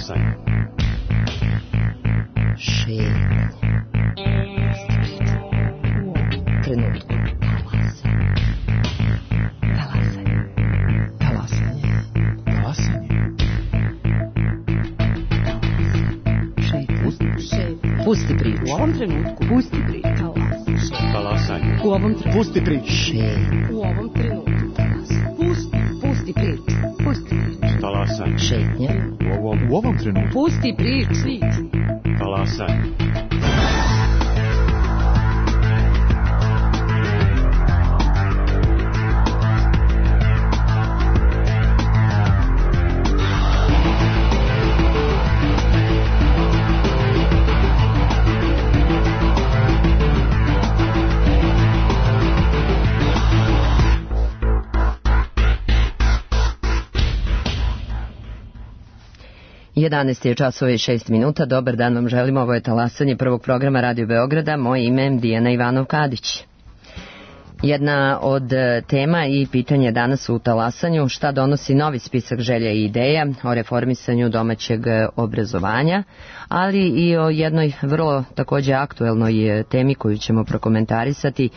Talasanje. Šetnje. Trenutku. Talasanje. Talasanje. Talasanje. Šetnje. Pusti priču. U ovom trenutku. Pusti priču. Talasanje. U ovom trenutku. Pusti priču. Šetnje. U ovom trenutku. Pusti priču. Pusti priču. Talasanje. Šetnje. U ovom trenutku. Pusti priču. Talasanje. Jedanaest je časova i 6 minuta. Dobar dan vam želimo. Ovo je Talasanje prvog programa Radio Beograda. Moje ime je Dijana Ivanov-Kadić. Jedna od tema i pitanja danas u Talasanju: šta donosi novi spisak želja i ideja o reformisanju domaćeg obrazovanja, ali i o jednoj vrlo takođe aktuelnoj temi koju ćemo prokomentarisati,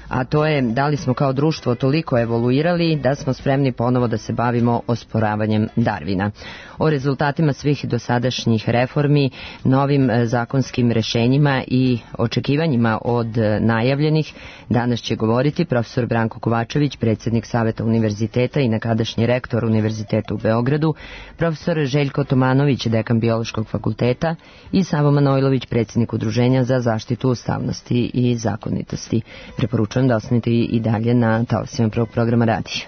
a to je da li smo kao društvo toliko evoluirali da smo spremni ponovo da se bavimo osporavanjem Darvina. O rezultatima svih dosadašnjih reformi, novim zakonskim rešenjima i očekivanjima od najavljenih danas će govoriti profesor Branko Kovačević, predsjednik Saveta univerziteta i nekadašnji rektor Univerziteta u Beogradu, profesor Željko Tomanović, dekan Biološkog fakulteta, i Savo Manojlović, predsjednik Udruženja za zaštitu ustavnosti i zakonitosti. Preporučujem da ostanete i dalje na talasima prvog programa radija.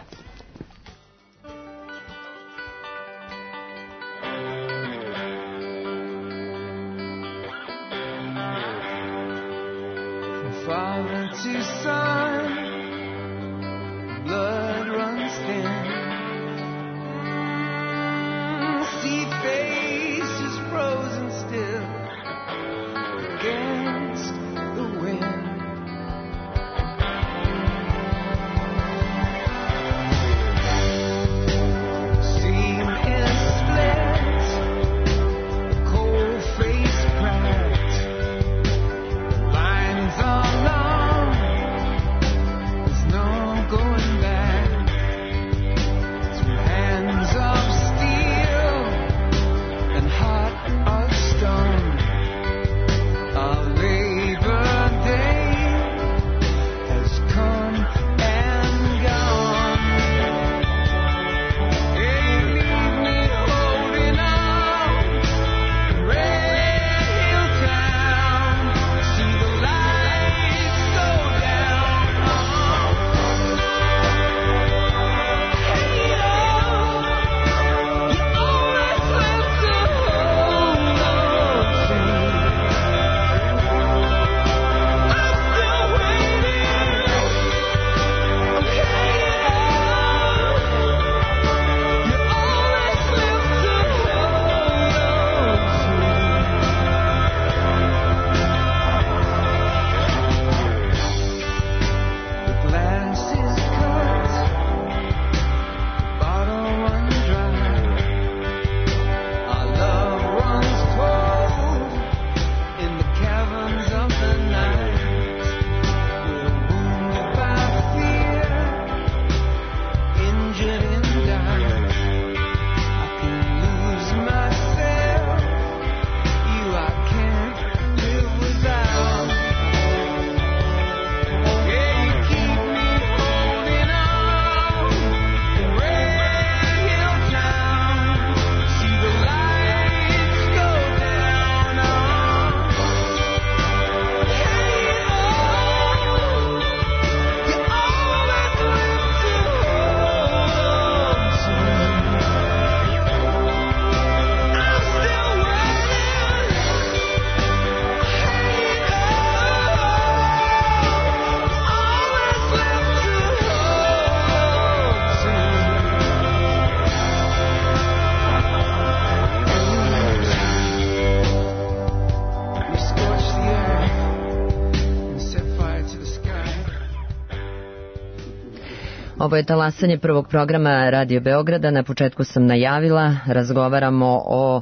Ovo je talasanje prvog programa Radio Beograda. Na početku sam najavila, razgovaramo o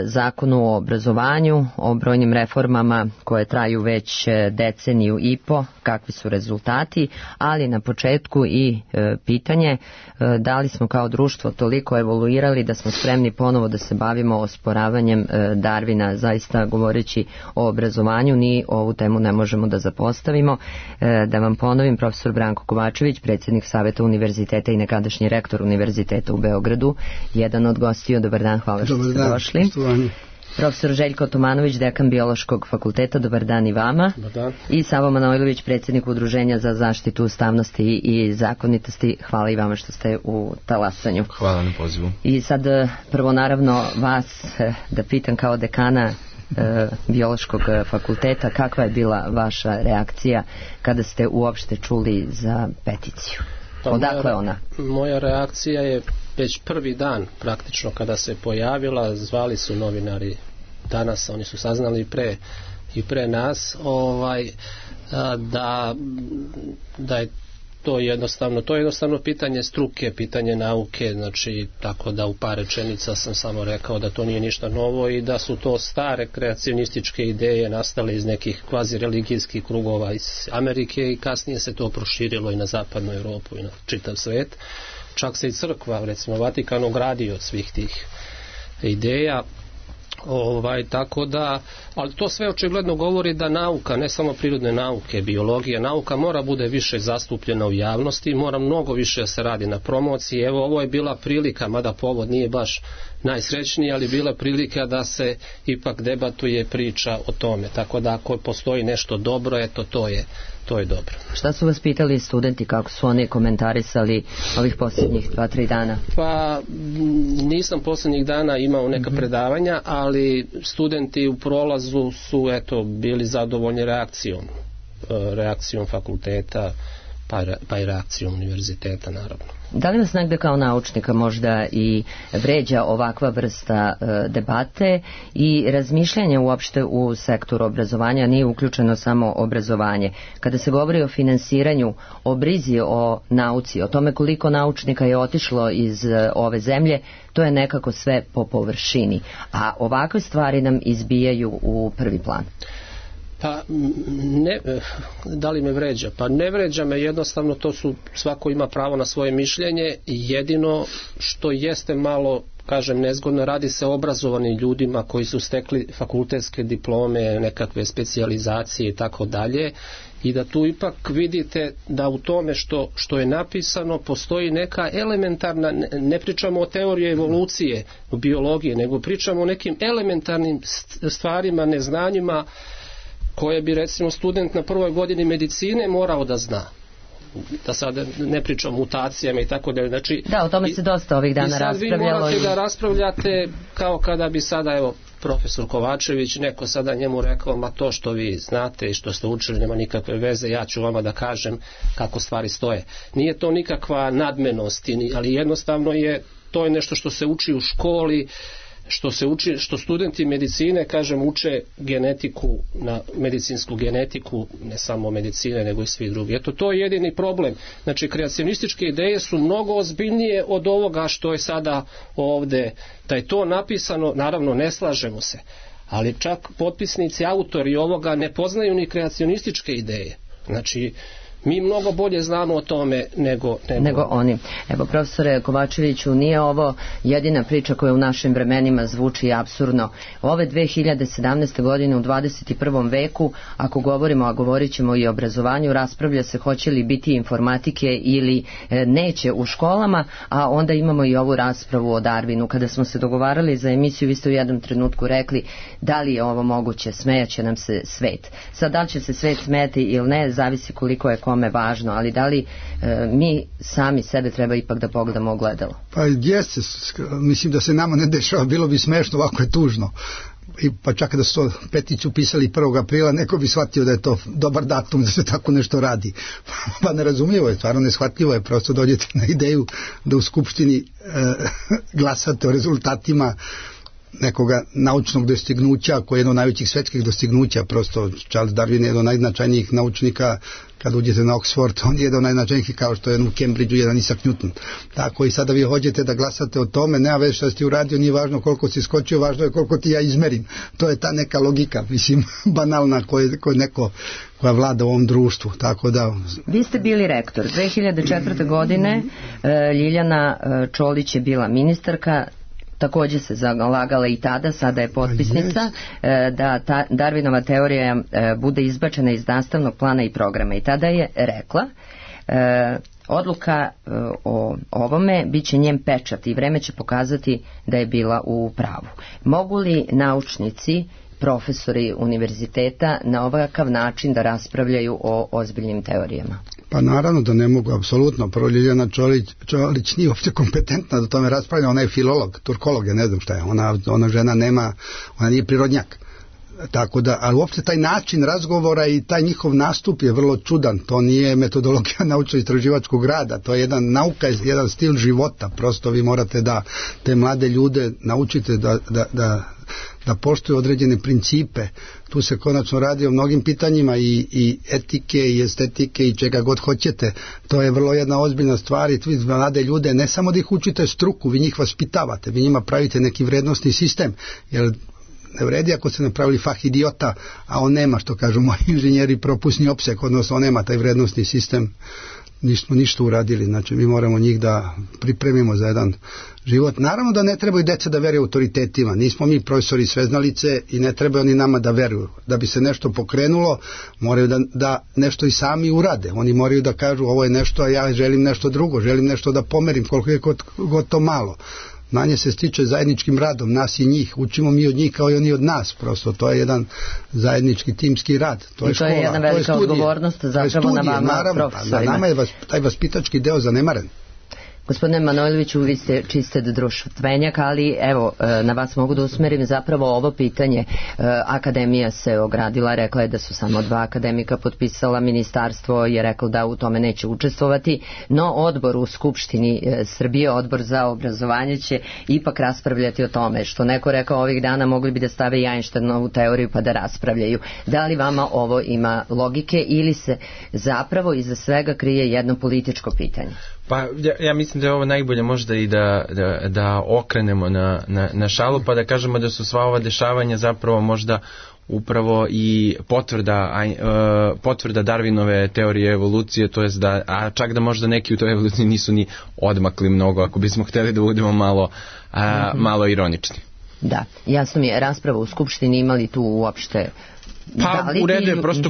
zakonu o obrazovanju, o brojnim reformama koje traju već deceniju i po, kakvi su rezultati, ali na početku i pitanje da li smo kao društvo toliko evoluirali da smo spremni ponovo da se bavimo osporavanjem Darwina. Zaista govoreći o obrazovanju, ni ovu temu ne možemo da zapostavimo. Da vam ponovim, profesor Branko Kovačević, predsjednik Saveta univerziteta i nekadašnji rektor univerziteta u Beogradu, jedan od gostiju. Dobar dan, hvala što ste došli. Poštovanje. Profesor Željko Tomanović, dekan Biološkog fakulteta, dobar dan i vama. Dobar dan. I Savo Manojlović, predsjednik Udruženja za zaštitu ustavnosti i zakonitosti. Hvala i vama što ste u talasanju. Hvala na pozivu. I sad prvo naravno vas da pitam kao dekana Biološkog fakulteta, kakva je bila vaša reakcija kada ste uopšte čuli za peticiju? Odakle ona? Moja reakcija je već prvi dan praktično kada se pojavila, zvali su novinari danas, oni su saznali i pre nas da je to jednostavno pitanje struke, pitanje nauke, znači tako da u par rečenica sam samo rekao da to nije ništa novo i da su to stare kreacionističke ideje nastale iz nekih kvazi religijskih krugova iz Amerike i kasnije se to proširilo i na zapadnu Europu i na čitav svet. Čak se i crkva, recimo Vatikan, ogradio od svih tih ideja. Tako da, ali to sve očigledno govori da nauka, ne samo prirodne nauke, biologija, nauka mora bude više zastupljena u javnosti, mora mnogo više se radi na promociji. Evo, ovo je bila prilika, mada povod nije baš najsrećniji, ali bila prilika da se ipak debatuje, priča o tome. Tako da ako postoji nešto dobro, eto to je dobro. Šta su vas pitali studenti, kako su oni komentarisali ovih posljednjih 2-3 dana? Pa nisam posljednjih dana imao neka predavanja, ali studenti u prolazu su bili zadovoljni reakcijom fakulteta, pa i reakcijom univerziteta naravno. Da li vas negde kao naučnika možda i vređa ovakva vrsta debate i razmišljanja uopšte u sektoru obrazovanja? Nije uključeno samo obrazovanje. Kada se govori o finansiranju, o brizi o nauci, o tome koliko naučnika je otišlo iz ove zemlje, to je nekako sve po površini. A ovakve stvari nam izbijaju u prvi plan. Pa da li me vređa? Pa ne vređa me, jednostavno svako ima pravo na svoje mišljenje, jedino što jeste malo, kažem, nezgodno, radi se o obrazovanim ljudima koji su stekli fakultetske diplome, nekakve specijalizacije i tako dalje, i da tu ipak vidite da u tome što je napisano postoji neka elementarna, ne pričamo o teoriji evolucije u biologiji, nego pričamo o nekim elementarnim stvarima, neznanjima koje bi recimo student na prvoj godini medicine morao da zna. Da sad ne pričam o mutacijama i tako dalje. Znači, da, o tome se dosta ovih dana raspravljalo. I sad vi morate da raspravljate kao kada bi sada, evo, profesor Kovačević, neko sada njemu rekao, ma to što vi znate i što ste učili nema nikakve veze, ja ću vama da kažem kako stvari stoje. Nije to nikakva nadmenost, ali jednostavno to je nešto što se uči u školi, što studenti medicine, kažem, uče genetiku, na medicinsku genetiku, ne samo medicine nego i svi drugi. Eto, to je jedini problem. Znači, kreacionističke ideje su mnogo ozbiljnije od ovoga što je sada ovde. Da je to napisano, naravno ne slažemo se, ali čak potpisnici, autori ovoga ne poznaju ni kreacionističke ideje. Znači, mi mnogo bolje znamo o tome nego oni. Evo, profesore Kovačeviću, nije ovo jedina priča koja u našim vremenima zvuči apsurdno. Ove 2017. godine u 21. veku, ako govorimo, a govorit ćemo i o obrazovanju, raspravlja se hoće li biti informatike ili neće u školama, a onda imamo i ovu raspravu o Darwinu. Kada smo se dogovarali za emisiju, vi ste u jednom trenutku rekli da li je ovo moguće, smejaće nam se svet. Sad, da li će se svet smejati ili ne, zavisi koliko je kome važno, ali da li mi sami sebe treba ipak da pogledamo ogledalo? Pa jeste, mislim da se nama ne dešava, bilo bi smešno, ovako je tužno. Pa čak da su to peticiju pisali 1. aprila, neko bi shvatio da je to dobar datum da se tako nešto radi. Pa nerazumljivo je, stvarno neshvatljivo je, prosto dođete na ideju da u Skupštini glasate o rezultatima nekoga naučnog dostignuća, koji je jedno od najvećih svetskih dostignuća, prosto Charles Darwin je jedan od najznačajnijih naučnika. Kad uđete na Oxford, on je jedan od najznačajnijih, kao što je u Cambridgeu jedan Isaac Newton. Tako i sada vi hođete da glasate o tome, nema veze šta si ti uradio, nije važno koliko si skočio, važno je koliko ti ja izmerim. To je ta neka logika, mislim, banalna koja vlada u ovom društvu. Tako da... Vi ste bili rektor. 2004. godine Ljiljana Čolić je bila ministarka, također se zalagala i tada, sada je potpisnica, da ta Darwinova teorija bude izbačena iz nastavnog plana i programa. I tada je rekla, odluka o ovome bit će njen pečat i vreme će pokazati da je bila u pravu. Mogu li naučnici, profesori univerziteta na ovakav način da raspravljaju o ozbiljnim teorijama? Pa naravno da ne mogu, apsolutno. Prvo, Ljiljana Čolić nije uopće kompetentna da tome raspravlja, ona je filolog, turkolog, ja ne znam šta je, ona žena ona nije prirodnjak. Tako da, ali uopće taj način razgovora i taj njihov nastup je vrlo čudan, to nije metodologija naučno-istraživačkog rada, to je jedan nauka, jedan stil života, prosto vi morate da te mlade ljude naučite da poštuju određene principe. Tu se konačno radi o mnogim pitanjima i etike i estetike i čega god hoćete. To je vrlo jedna ozbiljna stvar i vi mlade ljude ne samo da ih učite struku, vi njih vaspitavate, vi njima pravite neki vrednostni sistem, jer ne vredi ako ste napravili fah idiota, a on nema, što kažu moji inženjeri, propusni opsek, odnosno on nema taj vrednostni sistem, nismo ništa uradili. Znači mi moramo njih da pripremimo za jedan život. Naravno da ne trebaju deca da veruju autoritetima, nismo mi profesori sveznalice i ne trebaju oni nama da veruju. Da bi se nešto pokrenulo, moraju da nešto i sami urade. Oni moraju da kažu ovo je nešto, a ja želim nešto drugo, želim nešto da pomerim, koliko je god to malo. Znanje se stiče zajedničkim radom, nas i njih, učimo mi od njih kao i oni od nas, prosto to je jedan zajednički timski rad, to je škola, to je jedna velika odgovornost zapravo na vama, profesorima. Na nama je taj vaspitački deo zanemaren. Gospodine Manojloviću, vi ste čiste društvenjak, ali evo, na vas mogu da usmerim zapravo ovo pitanje. Akademija se ogradila, rekla je da su samo 2 akademika potpisala, ministarstvo je reklo da u tome neće učestvovati, no odbor u Skupštini Srbije, odbor za obrazovanje će ipak raspravljati o tome, što neko rekao ovih dana mogli bi da stave i Einsteinovu teoriju pa da raspravljaju. Da li vama ovo ima logike ili se zapravo iza svega krije jedno političko pitanje? Pa ja mislim da je ovo najbolje možda i da okrenemo na šalu, pa da kažemo da su sva ova dešavanja zapravo možda upravo i potvrda Darwinove teorije evolucije, to jest a čak da možda neki u toj evoluciji nisu ni odmakli mnogo, ako bismo htjeli da budemo malo ironični. Da, jasno mi je, rasprava u Skupštini imali tu uopšte... Pa u redu je, prosto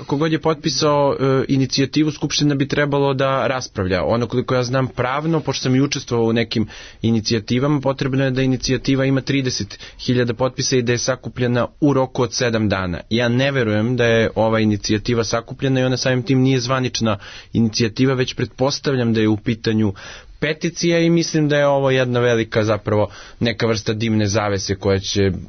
kogod je potpisao inicijativu, Skupština bi trebalo da raspravlja. Ono koliko ja znam pravno, pošto sam i učestvovao u nekim inicijativama, potrebno je da inicijativa ima 30.000 potpisa i da je sakupljena u roku od 7 dana. Ja ne verujem da je ova inicijativa sakupljena i ona samim tim nije zvanična inicijativa, već pretpostavljam da je u pitanju peticija i mislim da je ovo jedna velika zapravo neka vrsta dimne zavese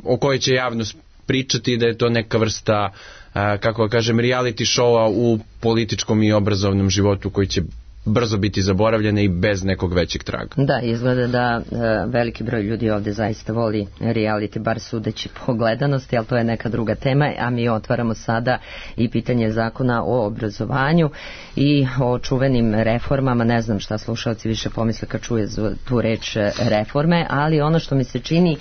o kojoj će javnost pričati, da je to neka vrsta, kako kažem, reality showa u političkom i obrazovnom životu koji će brzo biti zaboravljene i bez nekog većeg traga. Da, izgleda da veliki broj ljudi ovdje zaista voli reality, bar sudeći po gledanosti, ali to je neka druga tema, a mi otvaramo sada i pitanje zakona o obrazovanju i o čuvenim reformama. Ne znam šta slušalci više pomisle kad čuje tu reč reforme, ali ono što mi se čini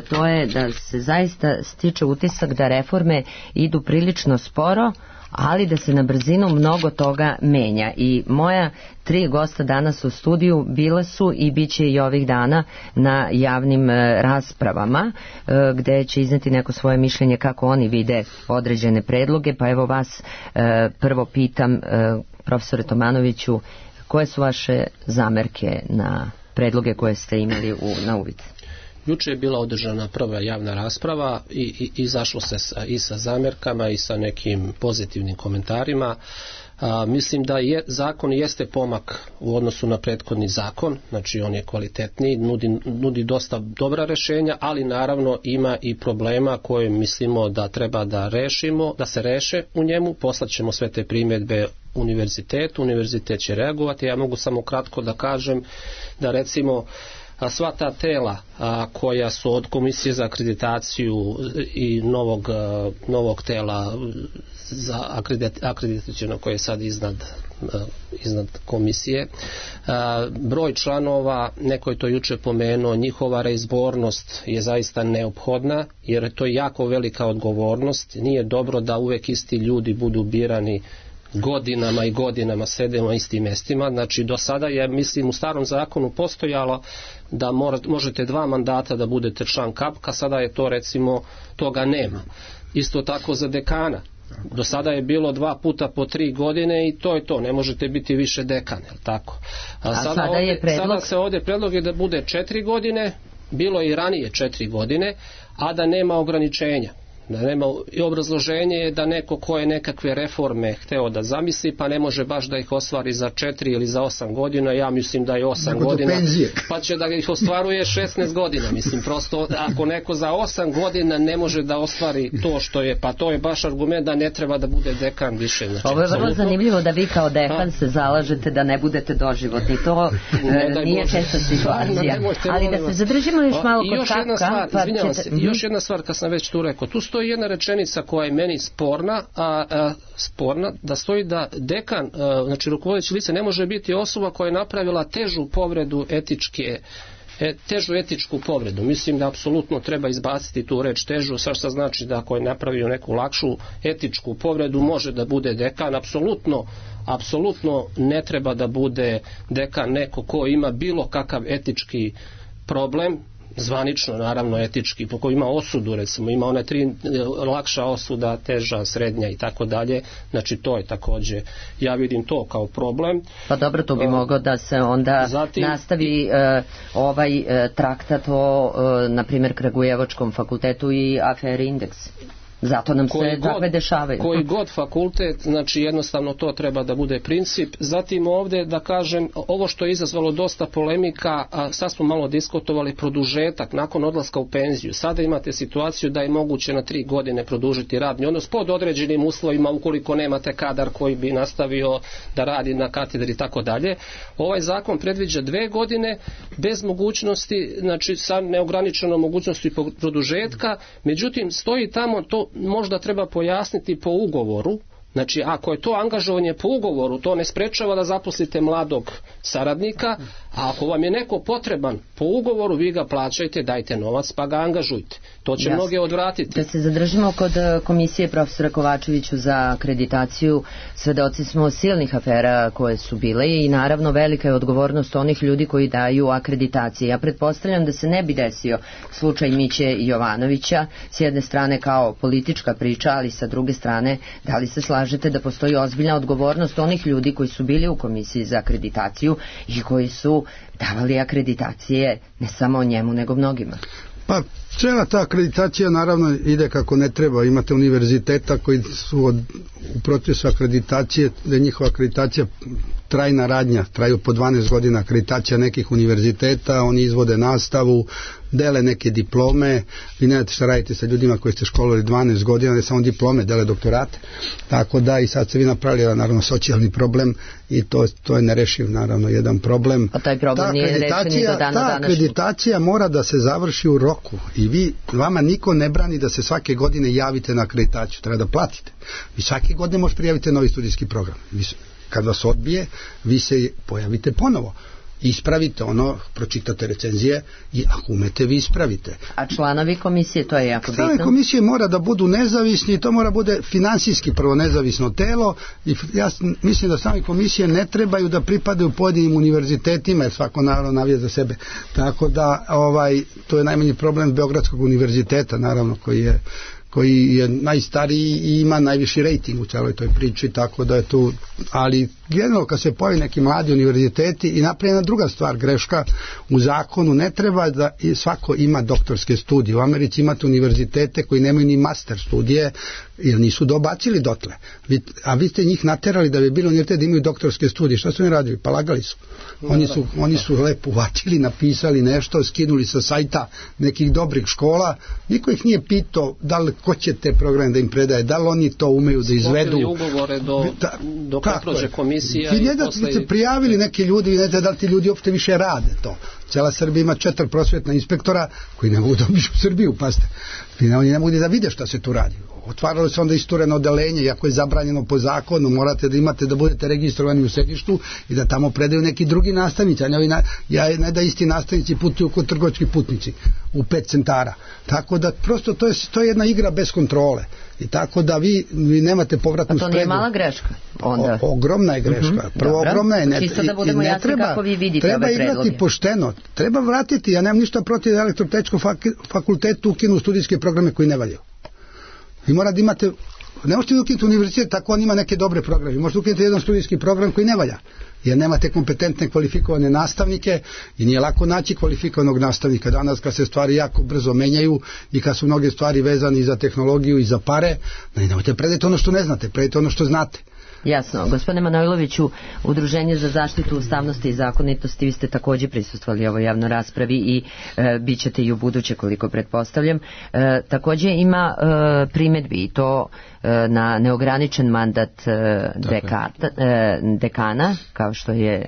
to je da se zaista stiče utisak da reforme idu prilično sporo, ali da se na brzinu mnogo toga menja. I moja 3 gosta danas u studiju bile su i bit će i ovih dana na javnim raspravama gde će izneti neko svoje mišljenje kako oni vide određene predloge. Pa evo vas prvo pitam, profesore Tomanoviću, koje su vaše zamerke na predloge koje ste imali na uvid? Juče je bila održana prva javna rasprava i izašlo se i sa zamjerkama i sa nekim pozitivnim komentarima. Mislim da zakon jeste pomak u odnosu na prethodni zakon, znači on je kvalitetniji, nudi dosta dobra rješenja, ali naravno ima i problema koje mislimo da treba da rešimo, da se reše u njemu. Poslaćemo sve te primjedbe univerzitet će reagovati. Ja mogu samo kratko da kažem da recimo sva ta tela koja su od Komisije za akreditaciju i novog tela za akreditaciono koje je sad iznad komisije, broj članova, neko je to juče pomenuo, njihova reizbornost je zaista neophodna, jer to je jako velika odgovornost. Nije dobro da uvek isti ljudi budu birani godinama i godinama, sede na istim mjestima. Znači do sada je, mislim, u starom zakonu postojalo da možete 2 mandata da budete član KAPK-a, sada je to, recimo, toga nema. Isto tako za dekana. Do sada je bilo 2 puta po 3 godine i to je to, ne možete biti više dekan, je li tako? Sada se ovdje predlog je da bude 4 godine, bilo je i ranije 4 godine, a da nema ograničenja. Da nema, i obrazloženje je da neko ko je nekakve reforme hteo da zamisli, pa ne može baš da ih ostvari za 4 ili za 8 godina. Ja mislim da je 8 godina, pa će da ih ostvaruje 16 godina. Mislim, prosto, ako neko za 8 godina ne može da ostvari to što je, pa to je baš argument da ne treba da bude dekan više. Znači, ovo je vrlo zanimljivo da vi kao dekan se zalažete da ne budete doživotni. To nije česta situacija. Ali da se zadržimo još malo kod KAPK-a. Još jedna stvar, kad sam već tu rekao, tu stoji jedna rečenica koja je meni sporna, da stoji da dekan, znači rukovodeće lice, ne može biti osoba koja je napravila težu povredu težu etičku povredu. Mislim da apsolutno treba izbaciti tu reč težu, sad što znači da ako je napravio neku lakšu etičku povredu može da bude dekan. Apsolutno ne treba da bude dekan neko ko ima bilo kakav etički problem, zvanično naravno etički, po koji ima osudu, recimo ima one 3 lakša osuda, teža, srednja i tako dalje. Znači to je također, ja vidim to kao problem. Pa dobro, to bi moglo da se onda nastavi ovaj traktat o na primjer Kragujevačkom fakultetu i aferi Indeks. Zato nam se takve dešavaju. Koji god fakultet, znači jednostavno to treba da bude princip. Zatim ovdje da kažem, ovo što je izazvalo dosta polemika, a sad smo malo diskutovali, produžetak nakon odlaska u penziju. Sada imate situaciju da je moguće na 3 godine produžiti radni odnos pod određenim uslovima ukoliko nemate kadar koji bi nastavio da radi na katedri i tako dalje. Ovaj zakon predviđa 2 godine bez mogućnosti, znači sa neograničenom mogućnosti produžetka, međutim stoji tamo to možda treba pojasniti po ugovoru. Znači, ako je to angažovanje po ugovoru, to ne sprečava da zaposlite mladog saradnika, a ako vam je neko potreban po ugovoru, vi ga plaćajte, dajte novac pa ga angažujte. To će mnoge odvratiti. Da se zadržimo kod komisije profesora Kovačeviću za akreditaciju, svedoci smo silnih afera koje su bile i naravno velika je odgovornost onih ljudi koji daju akreditacije. Ja pretpostavljam da se ne bi desio slučaj Miće Jovanovića, s jedne strane kao politička priča, ali sa druge strane, da li se slažete da postoji ozbiljna odgovornost onih ljudi koji su bili u komisiji za akreditaciju i koji su davali akreditacije ne samo njemu nego mnogima? Pa cijela ta akreditacija naravno ide kako ne treba. Imate univerziteta koji su u procesu akreditacije, da je njihova akreditacija trajna radnja, traju po 12 godina akreditacija nekih univerziteta, oni izvode nastavu, dele neke diplome, vi ne znate šta radite sa ljudima koji ste školovali 12 godina, ne samo diplome, dele doktorate, tako da i sad se vi napravili naravno socijalni problem i to je nerešiv naravno jedan problem. A taj problem nije rešen i do dana današnjeg. Ta akreditacija mora da se završi u roku i vama niko ne brani da se svake godine javite na akreditaciju, treba da platite. Vi svake godine možete prijaviti novi studijski program. Kad vas odbije, vi se pojavite ponovo. Ispravite ono, pročitate recenzije i ako umete, vi ispravite. A članovi komisije, to je jako bitno? Članovi komisije mora da budu nezavisni, to mora bude finansijski prvo nezavisno telo i ja mislim da sami komisije ne trebaju da pripadaju pojedinim univerzitetima, jer svako naravno navija za sebe. Tako da to je najmanji problem Beogradskog univerziteta, naravno, koji je najstariji i ima najviši rejting u celoj toj priči, tako da je tu, ali generalno kad se pojavi neki mladi univerziteti i napravljena druga stvar, greška u zakonu, ne treba da svako ima doktorske studije. U Americi imate univerzitete koji nemaju ni master studije jer nisu dobacili dotle. A vi ste njih naterali da bi bilo univerzitet da imaju doktorske studije. Šta su oni radili? Pa lagali su. Oni su lepo uvatili, napisali nešto, skinuli sa sajta nekih dobrih škola. Niko ih nije pitao da li ko će te programe da im predaje, da li oni to umeju da izvedu. Sklopili ugovore do prođe komisija. Vi ne da ste prijavili neki ljudi, vi ne da li ti ljudi uopšte više rade to. Cijela Srbija ima 4 prosvetna inspektora koji ne mogu da obiđu Srbiju, pazite. Oni ne mogu da vide šta se tu radi. Otvaralo se onda istureno odeljenje, iako je zabranjeno po zakonu, morate da imate da budete registrovani u sedištu i da tamo predaju neki drugi nastavnici, a ne da isti nastavnici putuju kod trgovački putnici u 5 centara. Tako da prosto to je jedna igra bez kontrole. I tako da vi nemate povratnu spregu. A to nije mala greška? Onda. Ogromna je greška. Prvo ogromna je. Čisto da budemo jasni kako vi vidite ove predloge. Treba igrati pošteno. Treba vratiti, ja nemam ništa protiv da Elektrotehničkom fakultetu ukinu studijske programe koji ne valjaju. Vi morate da imate, ne možete ukinuti univerzitet, tako on ima neke dobre programe. Možete ukinuti jedan studijski program koji ne valja, jer nemate kompetentne kvalifikovane nastavnike i nije lako naći kvalifikovanog nastavnika. Danas kad se stvari jako brzo menjaju i kad su mnoge stvari vezane i za tehnologiju i za pare, nemojte predati ono što ne znate, predajte ono što znate. Jasno. Gospodine Manojloviću, Udruženje za zaštitu ustavnosti i zakonitosti, vi ste također prisustvovali ovoj javnoj raspravi i bit ćete i u buduće, koliko pretpostavljam. Također ima primjedbi i to na neograničen mandat dekana, kao što je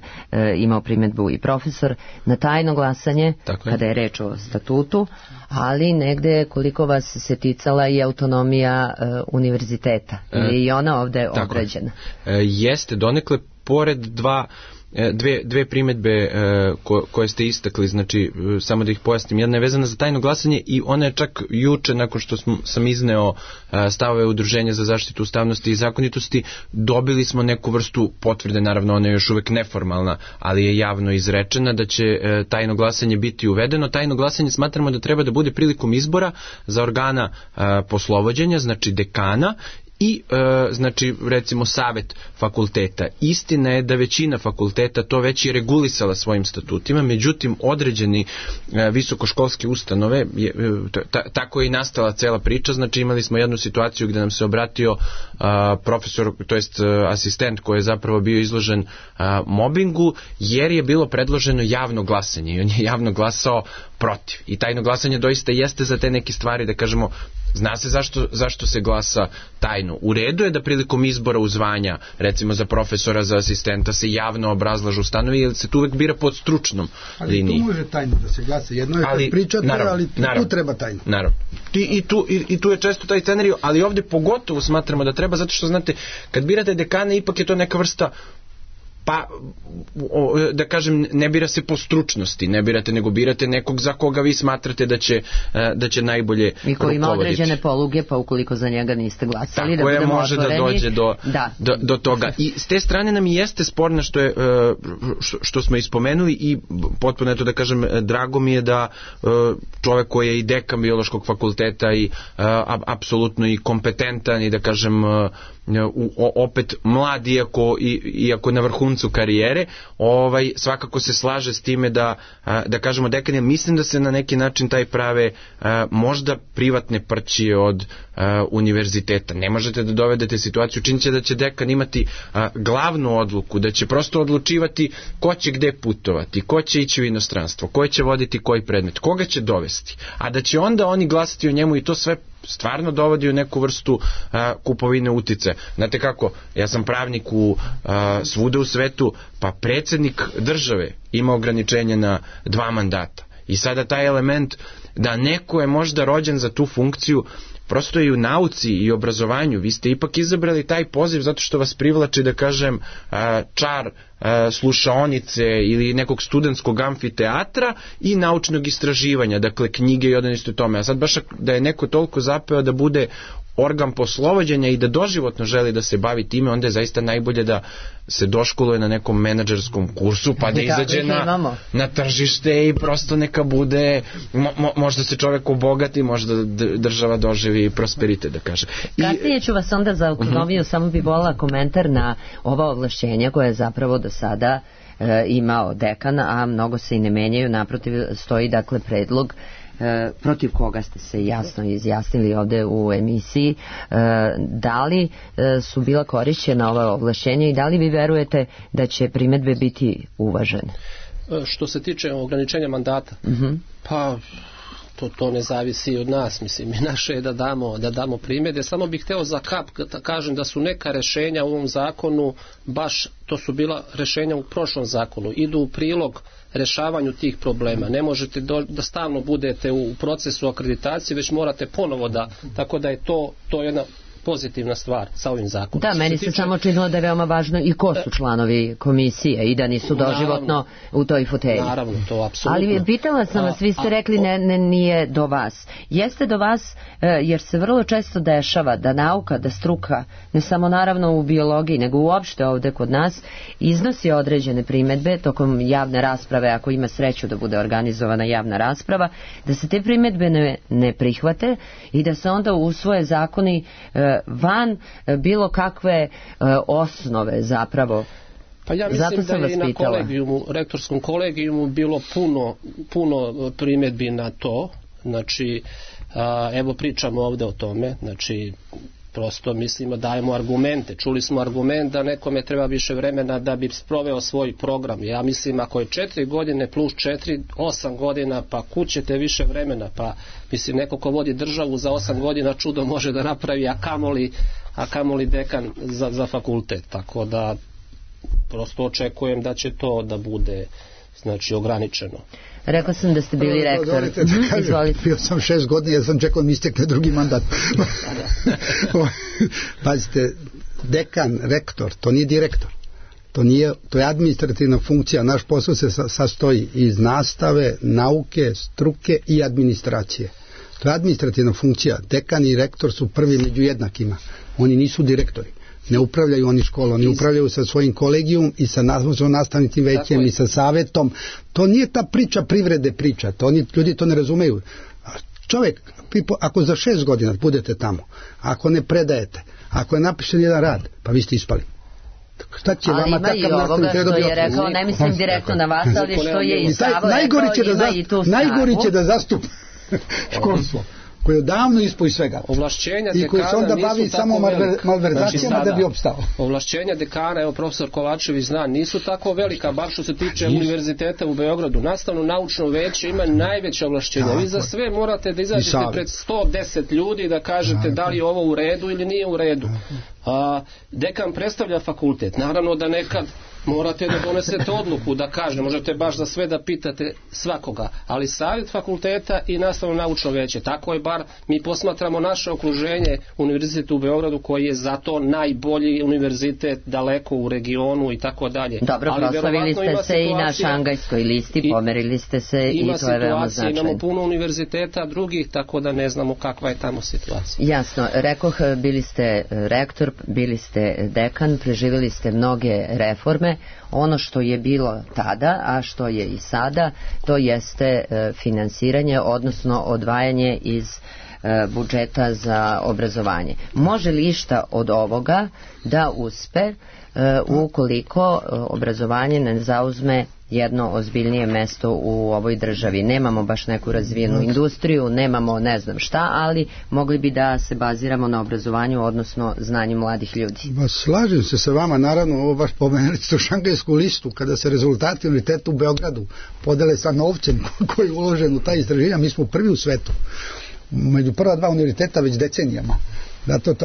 imao primjedbu i profesor, na tajno glasanje kada je reč o statutu, ali negde koliko vas se ticala i autonomija univerziteta. Je i ona ovde obrađena? Jeste, donekle pored dve primjedbe koje ste istakli, znači samo da ih pojasnim. Jedna je vezana za tajno glasanje i ona je čak juče, nakon što sam izneo stavove Udruženja za zaštitu ustavnosti i zakonitosti, dobili smo neku vrstu potvrde, naravno ona je još uvek neformalna, ali je javno izrečena da će tajno glasanje biti uvedeno. Tajno glasanje smatramo da treba da bude prilikom izbora za organa poslovođenja, znači dekana, i znači recimo savet fakulteta. Istina je da većina fakulteta to već je regulisala svojim statutima, međutim određeni visokoškolske ustanove, tako je i nastala cela priča. Znači imali smo jednu situaciju gdje nam se obratio profesor, to jest asistent koji je zapravo bio izložen mobingu, jer je bilo predloženo javno glasanje i on je javno glasao protiv. I tajno glasanje doista jeste za te neke stvari, da kažemo, zna se zašto se glasa tajno. U redu je da prilikom izbora u zvanja, recimo za profesora, za asistenta, se javno obrazlažu stanovi, jer se tu uvek bira pod stručnom liniji. Ali tu može tajno da se glasa. Jedno je kad pričate, ali tu treba tajno. Naravno. I tu je često taj scenarij, ali ovdje pogotovo smatramo da treba, zato što znate, kad birate dekana, ipak je to neka vrsta, pa da kažem, ne bira se po stručnosti, ne birate, nego birate nekog za koga vi smatrate da će najbolje rukovoditi. I koji ima određene poluge, pa ukoliko za njega niste glasali, tako da budemo može otvoreni, da dođe do toga. I s te strane nam i jeste sporno što smo ispomenuli i potpuno je to, da kažem, drago mi je da čovek koji je i dekan biološkog fakulteta i apsolutno i kompetentan i, da kažem, opet mlad, iako na vrhuncu karijere, svakako se slaže s time da kažemo dekan je. Mislim da se na neki način taj prave možda privatne prćije od univerziteta. Ne možete da dovedete situaciju, čini će da će dekan imati glavnu odluku, da će prosto odlučivati ko će gde putovati, ko će ići u inostranstvo, ko će voditi koji predmet, koga će dovesti, a da će onda oni glasati o njemu, i to sve stvarno dovodi u neku vrstu kupovine utice. Znate kako, ja sam pravnik svuda u svetu, pa predsjednik države ima ograničenje na 2 mandata. I sada taj element da neko je možda rođen za tu funkciju, prosto i u nauci i obrazovanju, vi ste ipak izabrali taj poziv zato što vas privlači, da kažem, čar slušaonice ili nekog studentskog amfiteatra i naučnog istraživanja, dakle knjige i odano isto tome. A sad baš da je neko toliko zapeo da bude organ poslovođenja i da doživotno želi da se bavi time, onda je zaista najbolje da se doškoluje na nekom menadžerskom kursu, pa da izađe na tržište i prosto neka bude, možda se čovjek obogati, možda država doživi prosperitet, da kaže. Kasnije ću vas onda za autonomiju, samo bi volila komentar na ova ovlašćenja koje je zapravo do sada imao dekan, a mnogo se i ne menjaju, naprotiv stoji dakle predlog protiv koga ste se jasno izjasnili ovde u emisiji, da li su bila korišćena ova ovlašćenja i da li vi verujete da će primedbe biti uvažene? Što se tiče ograničenja mandata, pa to ne zavisi od nas, mislim, i naše je da damo primjedbe. Samo bih hteo za kap da kažem da su neka rešenja u ovom zakonu, baš to su bila rešenja u prošlom zakonu, idu u prilog rešavanju tih problema. Ne možete da stalno budete u procesu akreditacije, već morate ponovo tako da je to jedna pozitivna stvar sa ovim zakonom. Da, meni se samo činilo da je veoma važno i ko su članovi komisije i da nisu doživotno u toj fotelji. Naravno, to apsolutno. Ali pitala sam vas, vi ste rekli nije do vas. Jeste do vas jer se vrlo često dešava da nauka, da struka, ne samo naravno u biologiji, nego uopšte ovde kod nas, iznosi određene primedbe tokom javne rasprave, ako ima sreću da bude organizovana javna rasprava, da se te primedbe ne prihvate i da se onda usvoje zakoni van bilo kakve osnove zapravo. Pa ja mislim da je i na rektorskom kolegijumu bilo puno primjedbi na to. Znači, evo pričamo ovde o tome, znači prosto mislimo, dajemo argumente. Čuli smo argument da nekome treba više vremena da bi sproveo svoj program. Ja mislim, ako je 4 godine plus 4, 8 godina, pa kućete više vremena, pa mislim, neko ko vodi državu za 8 godina čudo može da napravi, a kamoli dekan za fakultet. Tako da prosto očekujem da će to da bude, znači, ograničeno. Rekao sam da ste bili rektor. Izvolite. Bio sam 6 godina, ja sam čekao da mi istekne drugi mandat. Pazite, dekan, rektor, to nije direktor. To je administrativna funkcija. Naš posao se sastoji iz nastave, nauke, struke i administracije. To je administrativna funkcija. Dekan i rektor su prvi među jednakima. Oni nisu direktori. Ne upravljaju oni školom, oni upravljaju sa svojim kolegijum i sa nastavnicim većem i sa savetom. To nije ta priča privrede priča, ljudi to ne razumeju. Čovjek, ako za 6 godina budete tamo, ako ne predajete, ako je napišen jedan rad, pa vi ste ispali. Šta će vama takav nastavnik treba dobiti? Ali ima i ovoga što je rekao, ne mislim direktno na vas, ali što je i Savo rekao, ima i tu Savu. Najgori će da zastupa školstvo, koji je davno ispoj svega i koji se onda bavi samo malverzacijama da bi opstao. Ovlašćenja dekana, evo profesor Kovačević zna, nisu tako velika, bar što se tiče univerziteta u Beogradu. Nastavno naučno veće ima najveće ovlašćenja. Vi za sve morate da izađete pred 110 ljudi da kažete da li je ovo u redu ili nije u redu. Dekan predstavlja fakultet. Naravno da nekad morate da donesete odluku, da kažete, možete baš za sve da pitate svakoga, ali savjet fakulteta i nastavno naučno veće. Tako je bar mi posmatramo naše okruženje, univerzitet u Beogradu koji je zato najbolji univerzitet daleko u regionu i tako dalje. Dobro, proslavili ste se i na šangajskoj listi, pomerili ste se i to je veoma značajno. Imamo puno univerziteta drugih, tako da ne znamo kakva je tamo situacija. Jasno, rekoh, bili ste rektor, bili ste dekan, preživjeli ste mnoge reforme. Ono što je bilo tada, a što je i sada, to jeste finansiranje, odnosno odvajanje iz budžeta za obrazovanje. Može li išta od ovoga da uspe ukoliko obrazovanje ne zauzme jedno ozbiljnije mesto u ovoj državi? Nemamo baš neku razvijenu industriju, nemamo ne znam šta, ali mogli bi da se baziramo na obrazovanju, odnosno znanju mladih ljudi. Slažem se sa vama, naravno, ovo baš pomenuli ste šangajsku listu, kada se rezultati univerziteta u Beogradu podele sa novcem koji je uložen u taj istraživanja, mi smo prvi u svetu. Među prva 2 univerziteta već decenijama.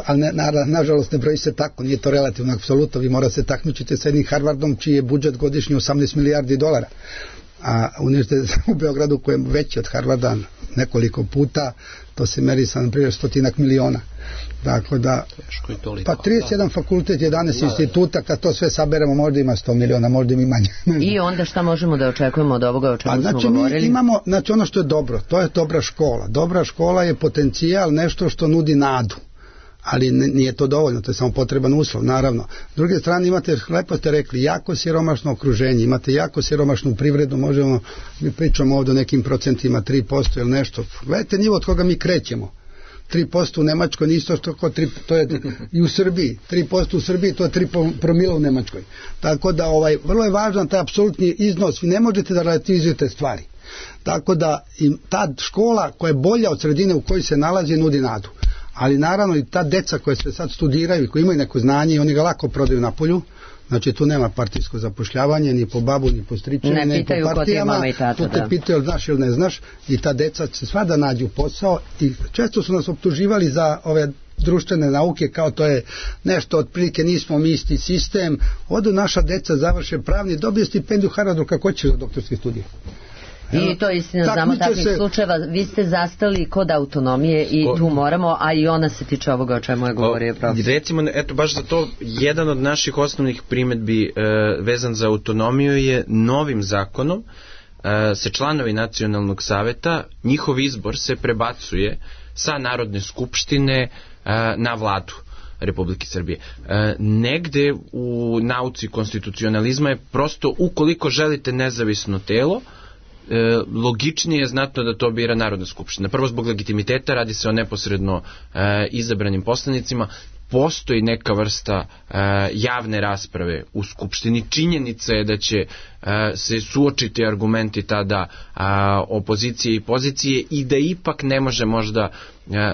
Ali nažalost ne broji se tako, nije to relativno apsolutno, vi morate se takmičiti sa jednim Harvardom čiji je budžet godišnji $18 milijardi, a univerzitet u Beogradu koji je veći od Harvarda nekoliko puta, to se meri sa na primjer 100 miliona. Dakle da, pa 31 fakultet, 11 instituta, kad to sve saberemo možda ima 100 miliona, možda ima manje. I onda šta možemo da očekujemo od ovoga o čemu smo govorili? Mi imamo, znači ono što je dobro, to je dobra škola. Dobra škola je potencijal, nešto što nudi nadu. Ali nije to dovoljno, to je samo potreban uslov, naravno. S druge strane imate, lepo ste rekli, jako siromašno okruženje, imate jako siromašnu privredu, možemo, mi pričamo ovdje o nekim procentima, 3% ili nešto. Gledajte nivo od koga mi krećemo. 3% u Nemačkoj, nisto što to je i u Srbiji. 3% u Srbiji, to je 3 promila u Nemačkoj. Tako da vrlo je važan taj apsolutni iznos, vi ne možete da relativizujete stvari. Tako da im ta škola koja je bolja od sredine u kojoj se nalazi nudi nadu. Ali naravno i ta deca koja se sad studiraju i koji imaju neko znanje i oni ga lako prodaju napolju, znači tu nema partijsko zapošljavanje ni po babu ni po stričinu, ne po partijama, tu te pitaju znaš ili ne znaš i ta deca će svada nađu posao i često su nas optuživali za ove društvene nauke kao to je nešto otprilike nismo mi isti sistem, odu naša deca završe pravni, dobiju stipendiju Harvardu kako će za doktorske studije. I to je istina, znamo takvih slučajeva. Vi ste zastali kod autonomije i tu moramo, a i ona se tiče ovoga o čemu je govorio profesor. Recimo, eto, baš za to, jedan od naših osnovnih primedbi vezan za autonomiju je novim zakonom se članovi nacionalnog saveta, njihov izbor se prebacuje sa Narodne skupštine na vladu Republike Srbije. Negde u nauci konstitucionalizma je prosto, ukoliko želite nezavisno telo, logičnije je znatno da to bira Narodna skupština. Prvo zbog legitimiteta, radi se o neposredno izabranim poslanicima, postoji neka vrsta javne rasprave u Skupštini. Činjenica je da će se suočiti argumenti tada opozicije i pozicije i da ipak ne može možda,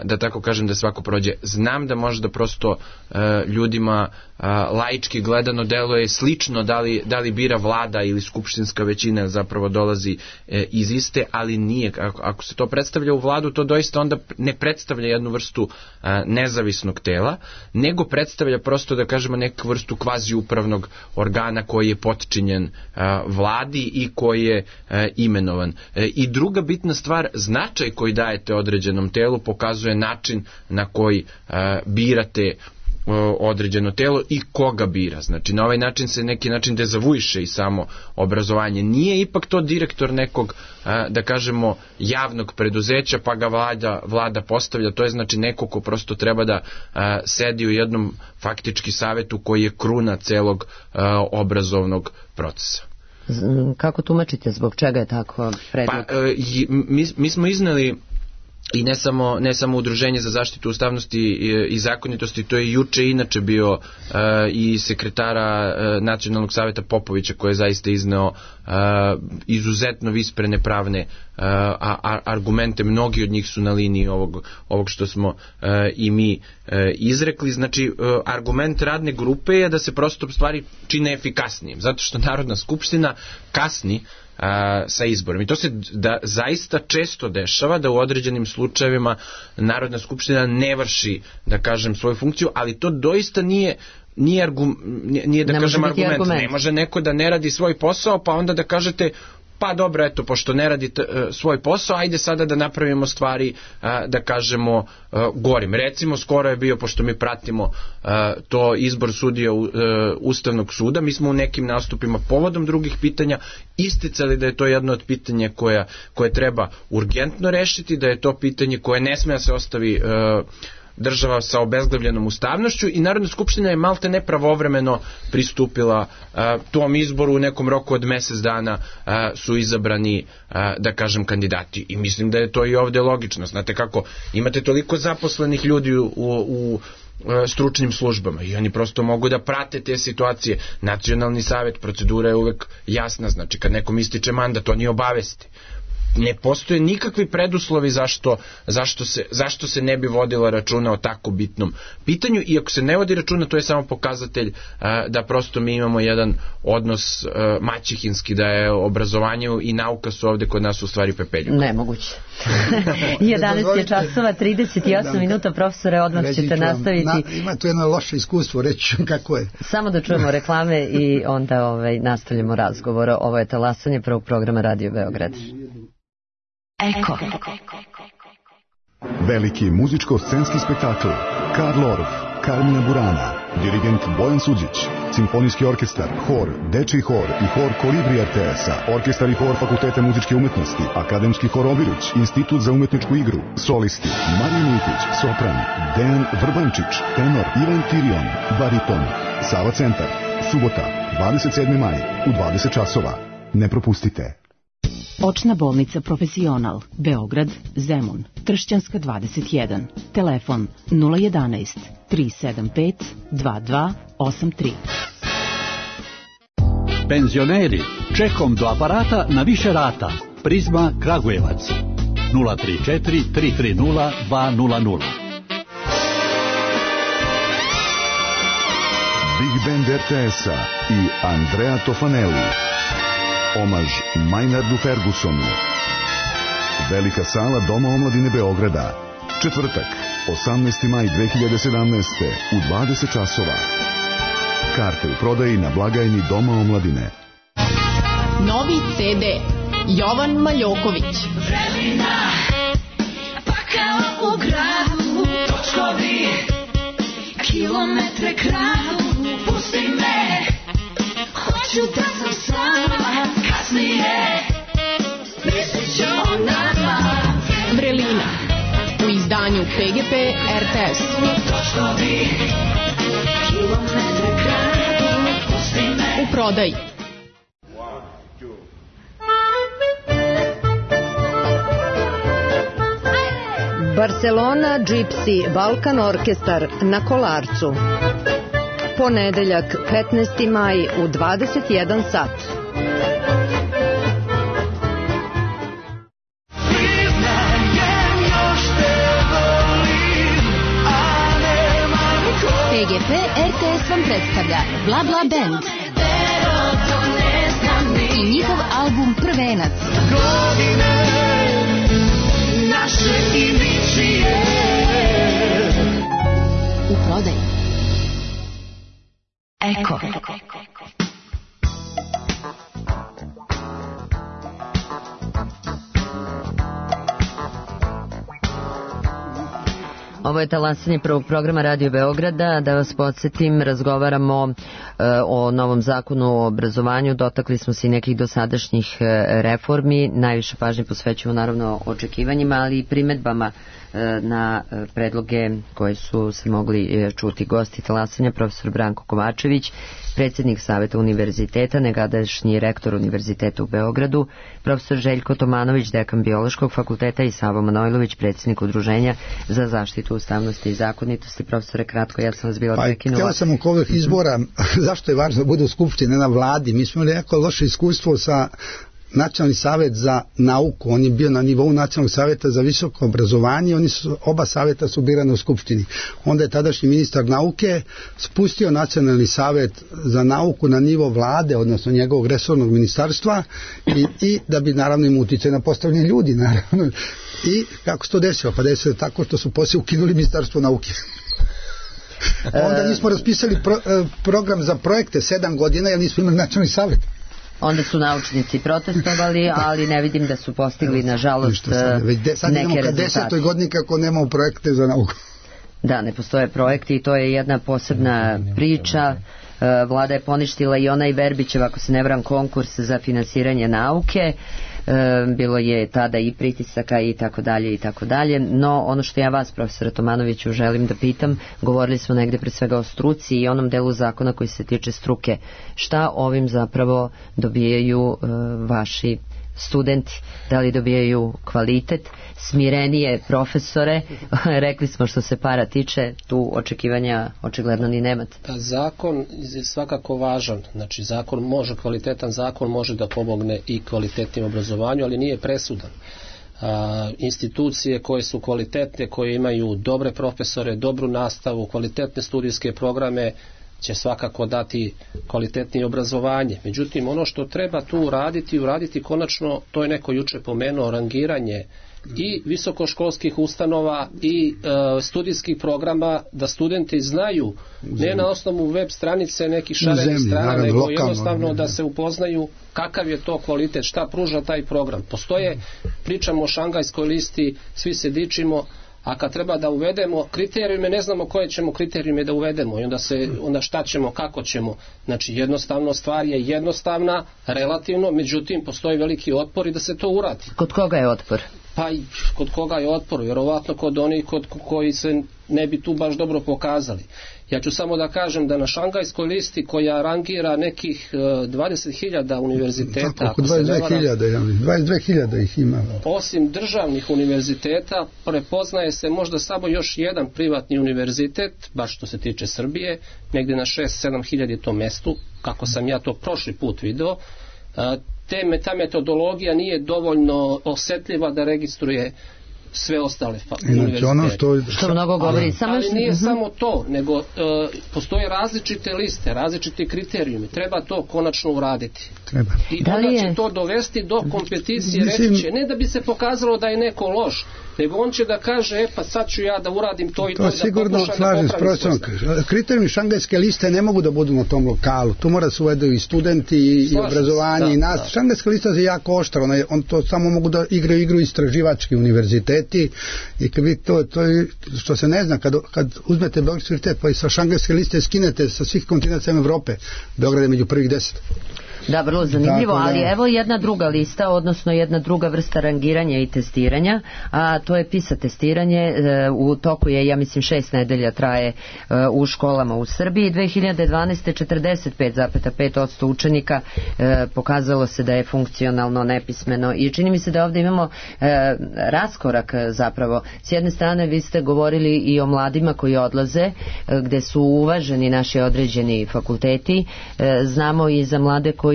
da tako kažem, da svako prođe. Znam da možda prosto ljudima laički gledano deluje slično da li bira vlada ili skupštinska većina zapravo dolazi iz iste, ali nije. Ako se to predstavlja u vladu, to doista onda ne predstavlja jednu vrstu nezavisnog tela, nego predstavlja prosto, da kažemo, neku vrstu kvazi upravnog organa koji je potčinjen vladi i koji je imenovan. I druga bitna stvar, značaj koji dajete određenom telu pokazuje način na koji birate određeno telo i koga bira. Znači, na ovaj način se neki način dezavuiše i samo obrazovanje. Nije ipak to direktor nekog, da kažemo, javnog preduzeća, pa ga vlada postavlja. To je znači neko ko prosto treba da sedi u jednom faktički savetu koji je kruna celog obrazovnog procesa. Kako tumačite, zbog čega je tako predlog? Pa, mi smo izneli i ne samo Udruženje za zaštitu ustavnosti i zakonitosti, to je juče inače bio i sekretara Nacionalnog saveta Popovića, koji je zaista izneo izuzetno visprene pravne argumente, mnogi od njih su na liniji ovog što smo i mi izrekli. Znači, argument radne grupe je da se prosto stvari čine efikasnijim, zato što Narodna skupština kasni sa izborom. I to se zaista često dešava da u određenim slučajevima Narodna skupština ne vrši, da kažem, svoju funkciju, ali to doista nije da kažem argument. Ne može neko da ne radi svoj posao, pa onda da kažete pa dobro, eto, pošto ne radi svoj posao, ajde sada da napravimo stvari, da kažemo, gorim. Recimo, skoro je bio, pošto mi pratimo to izbor sudija Ustavnog suda, mi smo u nekim nastupima povodom drugih pitanja isticali da je to jedno od pitanja koje treba urgentno rešiti, da je to pitanje koje ne sme da se ostavi država sa obezglavljenom ustavnošću i Narodna skupština je malte nepravovremeno pristupila tom izboru. U nekom roku od mesec dana su izabrani, da kažem, kandidati. I mislim da je to i ovde logično. Znate kako, imate toliko zaposlenih ljudi u stručnim službama i oni prosto mogu da prate te situacije. Nacionalni savet, procedura je uvek jasna, znači kad nekom ističe mandat, oni obavesti. Ne postoje nikakvi preduslovi zašto se ne bi vodila računa o tako bitnom pitanju, i ako se ne vodi računa, to je samo pokazatelj da prosto mi imamo jedan odnos maćehinski, da je obrazovanje i nauka su ovde kod nas u stvari pepeljuka. Nemoguće. 11 je časova, 38 minuta, profesore, odmah ćete nastaviti. Ima tu jedno loše iskustvo, reći kako je. Samo da čujemo reklame i onda nastavljamo razgovor. Ovo je talasanje prvog programa Radio Beograd. Eko. Veliki muzičko-scenski spektakl Karl Orff, Carmina Burana, dirigent Bojan Suđić, simfonijski orkestar, hor, dečiji hor i hor Kolibri RTS-a, orkestar i hor Fakulteta muzičke umetnosti, akademski hor Obilić, Institut za umetničku igru, solisti Marija Militić, sopran, Dejan Vrbančić, tenor Ivan Tirion, bariton, Sava centar, subota, 27. maj, u 20 časova. Ne propustite. Očna bolnica Profesional, Beograd, Zemun, Tršćanska 21, telefon 011 375 2283. Penzioneri, čekom do aparata na više rata. Prizma Kragujevac 034 330 200. Big Band RTS-a i Andrea Tofanelli. Omaž Maynardu Fergusonu. Velika sala Doma omladine Beograda. Četvrtak, 18. maj 2017. u 20 časova. Karte u prodaji na blagajni Doma omladine. Novi CD Jovan Maljoković. Vremena, pa kao u gradu, točkovi, kilometre kradu, pusti me, hoću da sam sama, kasnije, mislit ću o nama. Vrelina, u izdanju PGP RTS. Točkovi, kilometre kradu, pusti me. U prodaji. Barcelona Gypsy Balkan Orkestar na Kolarcu. Ponedeljak 15. maj u 21 sat. PGP RTS vam predstavlja Bla Bla Band i njihov album Prvenac. U prodaji. Eko. Ovo je talasanje prvog programa Radio Beograda. Da vas podsjetim, razgovaramo o novom zakonu o obrazovanju. Dotakli smo se i nekih dosadašnjih reformi. Najviše pažnje posvećujemo naravno očekivanjima, ali i primedbama na predloge koje su se mogli čuti. Gosti talasanja profesor Branko Kovačević, predsjednik Saveta univerziteta, nekadašnji rektor univerziteta u Beogradu, profesor Željko Tomanović, dekan Biološkog fakulteta i Savo Manojlović, predsjednik Udruženja za zaštitu ustavnosti i zakonitosti. Profesore, kratko, ja sam vas bila prekinula. Htjela sam oko ovih izbora, zašto je važno da bude u Skupštini, na vladi. Mi smo imali jako loše iskustvo sa Nacionalni savjet za nauku, on je bio na nivou Nacionalnog savjeta za visoko obrazovanje, oba savjeta su birane u Skupštini. Onda je tadašnji ministar nauke spustio Nacionalni savjet za nauku na nivo vlade, odnosno njegovog resornog ministarstva i da bi naravno im utjecaj na postavljanje ljudi, naravno. I kako se to desilo? Pa desilo tako što su poslije ukinuli ministarstvo nauke. Onda nismo raspisali program za projekte 7 godina jer nismo imali Nacionalni savjet. Onda su naučnici protestovali, ali ne vidim da su postigli, nažalost, neke rezultate. 10. godini kako nemamo projekte za nauku. Da, ne postoje projekti i to je jedna posebna priča. Vlada je poništila i onaj Verbićev, ako se ne varam, konkurs za finansiranje nauke. Bilo je tada i pritisaka i tako dalje i tako dalje. No, ono što ja vas, profesora Tomanoviću, želim da pitam, govorili smo negde pre svega o struci i onom delu zakona koji se tiče struke. Šta ovim zapravo dobijaju vaši studenti? Da li dobijaju kvalitet, smirenije profesore? Rekli smo što se para tiče, tu očekivanja očigledno ni nemate. Zakon je svakako važan, znači kvalitetan zakon može da pomogne i kvalitetnim obrazovanju, ali nije presudan. Institucije koje su kvalitetne, koje imaju dobre profesore, dobru nastavu, kvalitetne studijske programe, će svakako dati kvalitetnije obrazovanje. Međutim, ono što treba tu uraditi konačno, to je neko juče pomenuo, rangiranje i visokoškolskih ustanova i studijskih programa, da studenti znaju, ne na osnovu web stranice nekih šarenih strana, nego jednostavno da se upoznaju kakav je to kvalitet, šta pruža taj program. Postoje, pričamo o Šangajskoj listi, svi se dičimo, a kad treba da uvedemo kriterijume, ne znamo koje ćemo kriterijume da uvedemo i onda šta ćemo, kako ćemo. Znači jednostavno, stvar je jednostavna, relativno, međutim postoji veliki otpor i da se to uradi. Kod koga je otpor? Pa kod koga je otpor? Vjerovatno kod onih koji se ne bi tu baš dobro pokazali. Ja ću samo da kažem da na Šangajskoj listi, koja rangira nekih 20.000 univerziteta, oko 22.000 ih ima. Osim državnih univerziteta, prepoznaje se možda samo još jedan privatni univerzitet, baš što se tiče Srbije, negdje na 6-7 hiljada je to mestu, kako sam ja to prošli put video. ta metodologija nije dovoljno osetljiva da registruje sve ostale univerzitete. Ono što mnogo govori. Ali nije samo to, nego postoje različite liste, različiti kriterijumi. Treba to konačno uraditi. Treba. I onda će to dovesti do kompeticije, reći će, ne da bi se pokazalo da je neko loš, nego on će da kaže, pa sad ću ja da uradim to i to, da sigurno slažem s profesorom. Kriterijumi šangajske liste ne mogu da budu na tom lokalu. Tu mora se uvedu i studenti i obrazovanje i nas. Šangajska lista je jako oštra, on to samo mogu da igraju igru istraživački univerziteti i kad vi to što se ne zna, kad uzmete Beogradski univerzitet pa i sa šangajske liste skinete sa svih kontinenta Evrope, Beograd je među prvih 10. Da, vrlo zanimljivo, ali evo jedna druga lista, odnosno jedna druga vrsta rangiranja i testiranja, a to je PISA testiranje. U toku je, ja mislim, 6 nedelja traje u školama u Srbiji. 2012. 45,5% učenika pokazalo se da je funkcionalno nepismeno i čini mi se da ovdje imamo raskorak zapravo. S jedne strane vi ste govorili i o mladima koji odlaze, gde su uvaženi naši određeni fakulteti. Znamo i za mlade koji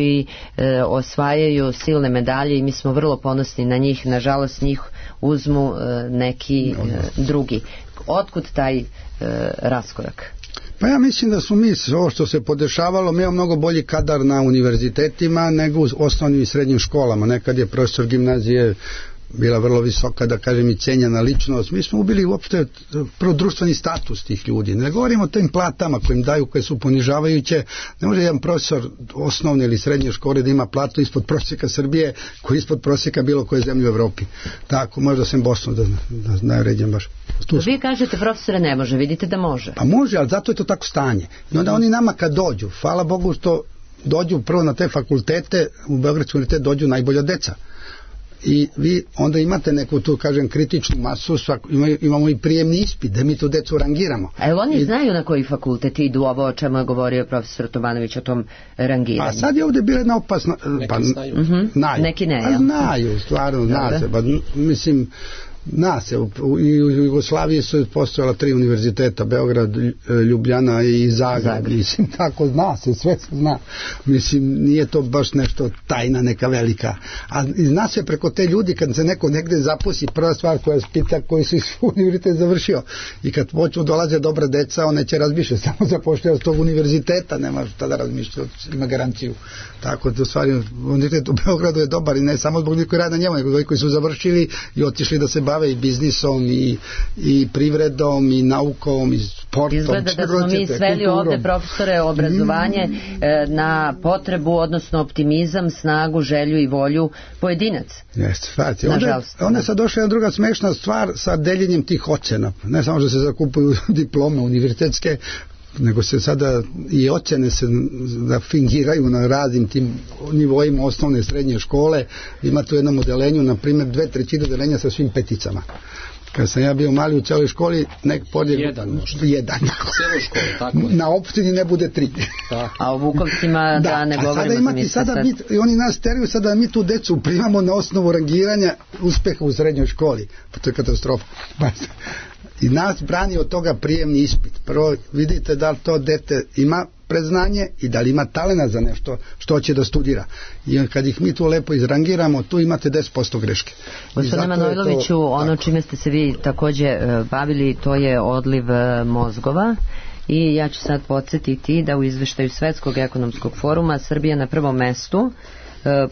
osvajaju silne medalje i mi smo vrlo ponosni na njih. Nažalost njih uzmu neki drugi. Otkud taj raskorak? Pa ja mislim da smo mi, ovo što se podešavalo, mi imamo mnogo bolji kadar na univerzitetima nego u osnovnim i srednjim školama. Nekad je profesor gimnazije bila vrlo visoka, da kažem, i cenjena ličnost. Mi smo ubili uopšte prvo društveni status tih ljudi. Ne govorimo o tim platama koje im daju, koje su ponižavajuće. Ne može jedan profesor osnovne ili srednje škole da ima platu ispod prosjeka Srbije, koji je ispod prosjeka bilo koje zemlje u Evropi. Tako, možda sam Bosnu da najređem baš. Vi kažete, profesore, ne može, vidite da može. Pa može, ali zato je to tako stanje. I onda oni nama kad dođu, hvala Bogu što dođu prvo na te fakultete, u Beogradski univerzitet dođu najbolja deca. I vi onda imate neku tu, kažem, kritičnu masu, imamo i prijemni ispit da mi tu decu rangiramo. A jel oni znaju na koji fakultet idu, ovo o čemu je govorio profesor Tomanović o tom rangiranju? A sad je ovdje bila jedna opasna... Neki znaju. Neki ne, ja. Znaju, stvarno, zna se. Mislim, zna se, u Jugoslaviji su postojala 3 univerziteta, Beograd, Ljubljana i Zagreb. Mislim, tako zna se, sve se zna. Mislim, nije to baš nešto tajna neka velika. A zna se preko te ljudi, kad se neko negde zaposli, prva stvar koja se pita koji su univerzitet završio. I kad počnu dolaze dobra deca, one će razmišljati, samo zapošljaju s tog univerziteta, nema šta da razmišljaju, ima garanciju. Tako da, u stvari, univerzitet u Beogradu je dobar i ne samo zbog ljudi koji rade na njemu, nego koji su završili i otišli da se bave i biznisom i privredom i naukom i sportom. Izgleda da smo mi sveli ovde, profesore, obrazovanje na potrebu, odnosno optimizam, snagu, želju i volju pojedinaca. Jeste, onda je sad došla jedna druga smešna stvar sa deljenjem tih ocena. Ne samo što se zakupuju diplome univerzitetske, nego se sada i ocene se da fingiraju na raznim tim nivoima osnovne i srednje škole. Ima tu jednom odelenju, na primjer 2/3 odelenja sa svim peticama. Kad sam ja bio mali u celoj školi, jedan. Na opštini ne bude 3. A u Vukovcima da ne govorimo. Oni nas teraju sada da mi tu decu primamo na osnovu rangiranja uspeha u srednjoj školi. Pa to je katastrofa. I nas brani od toga prijemni ispit. Prvo vidite da li to dete ima predznanje i da li ima talena za nešto što će da studira. I kad ih mi tu lepo izrangiramo, tu imate 10% greške. Gospodine Manojloviću, ono čime ste se vi takođe bavili, to je odliv mozgova. I ja ću sad podsjetiti da u izveštaju Svetskog ekonomskog foruma Srbija na prvom mestu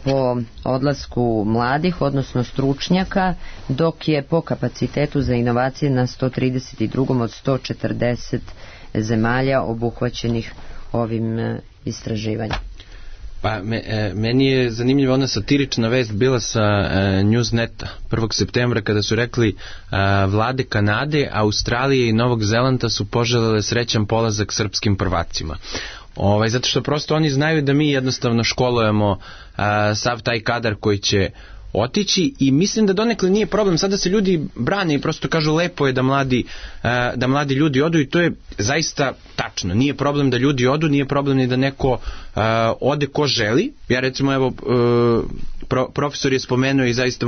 po odlasku mladih, odnosno stručnjaka, dok je po kapacitetu za inovacije na 132. od 140 zemalja obuhvaćenih ovim istraživanjem. Pa meni je zanimljiva ona satirična vest bila sa Newsneta 1. septembra kada su rekli vlade Kanade, Australije i Novog Zelanda su poželele srećan polazak srpskim prvacima. Zato što prosto oni znaju da mi jednostavno školujemo sav taj kadar koji će otići i mislim da donekle nije problem. Sada se ljudi brane i prosto kažu lepo je da mladi ljudi odu i to je zaista tačno. Nije problem da ljudi odu, nije problem ni da neko ode ko želi. Ja recimo evo profesor je spomenuo i zaista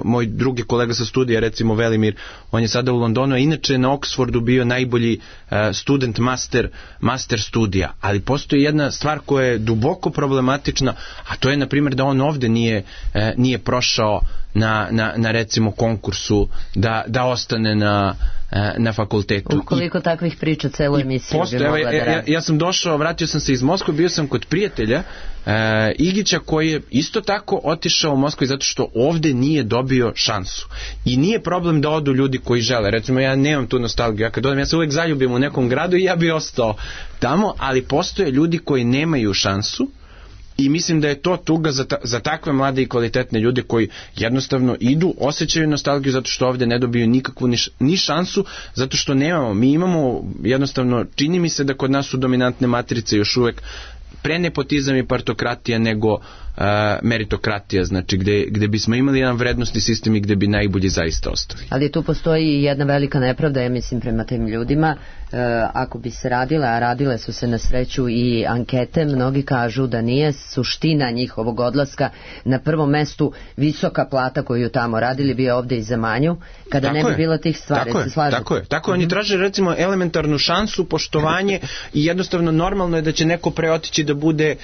moj drugi kolega sa studija, recimo Velimir, on je sada u Londonu, a inače na Oxfordu bio najbolji student master studija, ali postoji jedna stvar koja je duboko problematična, a to je na primjer da on ovde nije prošao na recimo konkursu da ostane na fakultetu. Koliko takvih priča celu emisiju bi mogla da radi? Ja sam došao, vratio sam se iz Moskve, bio sam kod prijatelja Igića koji je isto tako otišao u Moskvu zato što ovde nije dobio šansu. I nije problem da odu ljudi koji žele. Recimo ja nemam tu nostalgiju. Ja kad odem, ja se uvek zaljubim u nekom gradu i ja bi ostao tamo, ali postoje ljudi koji nemaju šansu. I mislim da je to tuga za takve mlade i kvalitetne ljude koji jednostavno idu, osjećaju nostalgiju zato što ovdje ne dobiju nikakvu ni šansu, zato što nemamo. Mi imamo jednostavno, čini mi se da kod nas su dominantne matrice još uvek pre nepotizam i partokratija nego meritokratija, znači gde bismo imali jedan vrednostni sistem i gde bi najbolji zaista ostali. Ali tu postoji jedna velika nepravda, ja mislim, prema tim ljudima. Ako bi se radile, a radile su se na sreću i ankete, mnogi kažu da nije suština njihovog odlaska na prvom mestu visoka plata koju tamo radili, bi ovde i za manju, kada ne bi bilo tih stvari. Tako je. Oni traže recimo elementarnu šansu, poštovanje i jednostavno normalno je da će neko preotići da bude